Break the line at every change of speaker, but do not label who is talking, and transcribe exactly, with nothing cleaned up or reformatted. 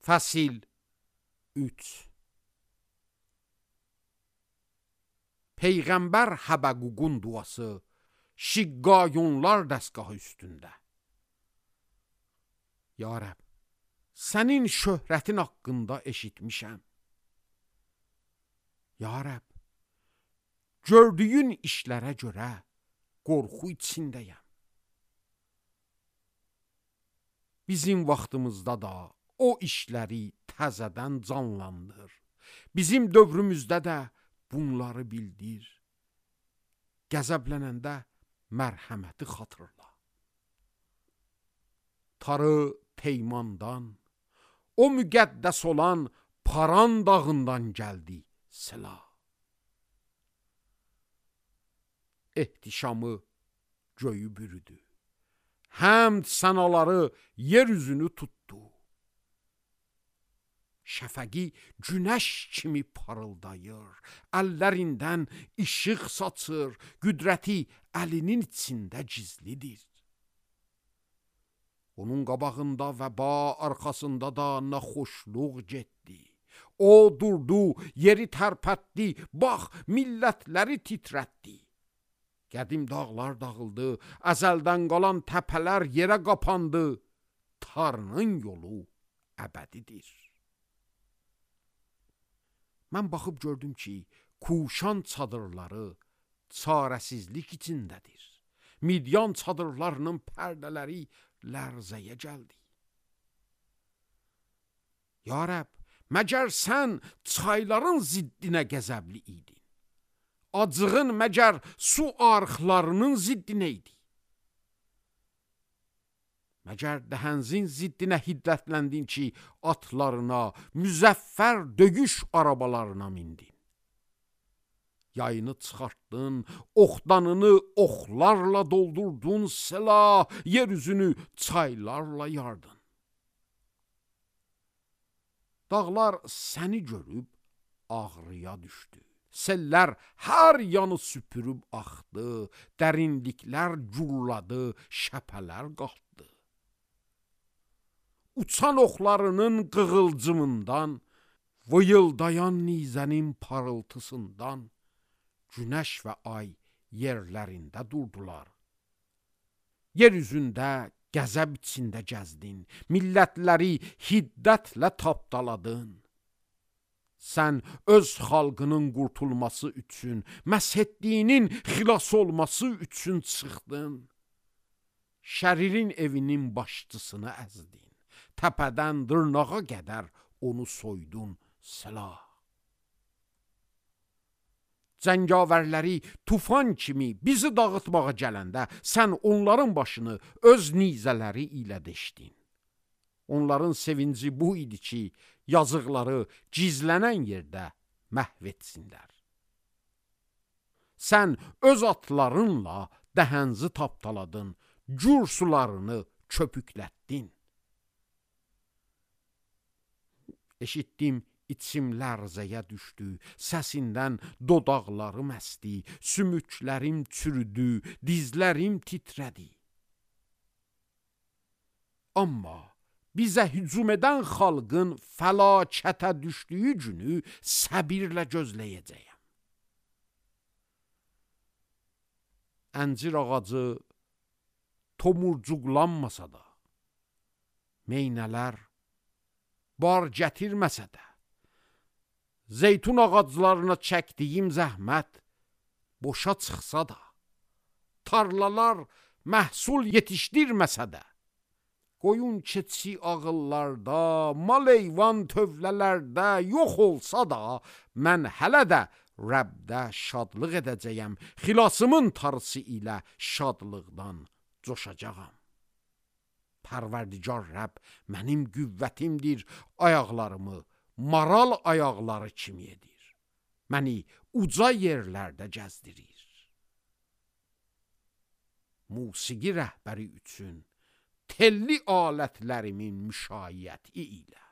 Fəsil üç. Peyğəmbər Həbəququn duası Şiqqayunlar dəstgahı üstündə. Ya Rəbb, sənin şöhrətin haqqında eşitmişəm. Ya Rəbb, gördüyün işlərə görə qorxu içindəyəm. Bizim vaxtımızda da o işləri təzədən canlandır. Bizim dövrümüzdə də bunları bildir. Qəzəblənəndə mərhəməti xatırla. Tarı Teymandan, o müqəddəs olan Paran dağından gəldi silah. Ehtişamı göyü bürüdü. Həmd sənaları yeryüzünü tutdu. Şəfəqi günəş kimi parıldayır, əllərindən işıq saçır, qüdrəti əlinin içində gizlidir. Onun qabağında vəba, arxasında da naxoşluq getdi. O durdu, yeri tərpətdi, bax, millətləri titrətdi. Qədim dağlar dağıldı, əzəldən qalan təpələr yerə qapandı. Tarının yolu əbədidir. Mən baxıb gördüm ki, Kuşan çadırları çarəsizlik içindədir. Midyan çadırlarının pərdələri lərzəyə gəldi. Ya Rəbb, məgər sən çayların ziddinə qəzəbli idin? Acığın məgər su arxlarının ziddinə idi? Məgər dəhənzin ziddinə hiddətləndin ki, atlarına, müzəffər döyüş arabalarına mindin. Yayını çıxartdın, oxdanını oxlarla doldurdun, silah, yeryüzünü çaylarla yardın. Dağlar səni görüb ağrıya düşdü. Sellər hər yanı süpürüb axdı, dərinliklər gurladı, şəpələr qalxdı. Uçan oxlarının qığılcımından, vıyıldayan nizənin parıltısından, günəş və ay yerlərində durdular. Yeryüzündə qəzəb içində gəzdin, millətləri hiddətlə tapdaladın. Sən öz xalqının qurtulması üçün, məshetdiyinin xilas olması üçün çıxdın. Şəririn evinin başçısını əzdin. Təpədən dırnağa qədər onu soydun silah. Cəngavərləri tufan kimi bizi dağıtmağa gələndə sən onların başını öz nizələri ilə deşdin. Onların sevinci bu idi ki, yazıqları gizlənən yerdə məhv etsinlər. Sən öz atlarınla dəhənzi tapdaladın, cür sularını köpüklətdin. Eşitdim, içim lərzəyə düşdü, səsindən dodaqlarım əsdi, sümüklərim çürüdü, dizlərim titrədi. Amma bizə hücum edən xalqın fəlakətə düşdüyü günü səbirlə gözləyəcəyəm. Əncir ağacı tomurcuqlanmasa da, meynələr bar gətirməsə də, zeytun ağaclarına çəkdiyim zəhmət boşa çıxsa da, tarlalar məhsul yetişdirməsə də, qoyun keçi ağıllarda, mal heyvan tövlələrdə yox olsa da, mən hələ də Rəbdə şadlıq edəcəyəm, xilasımın tarısı ilə şadlıqdan coşacağam. Pərverdigar Rəbb mənim qüvvətimdir, ayaqlarımı maral ayaqları kimi edir. Məni uca yerlərdə gəzdirir. Musiqi rəhbəri üçün telli alətlərimin müşayiəti ilə.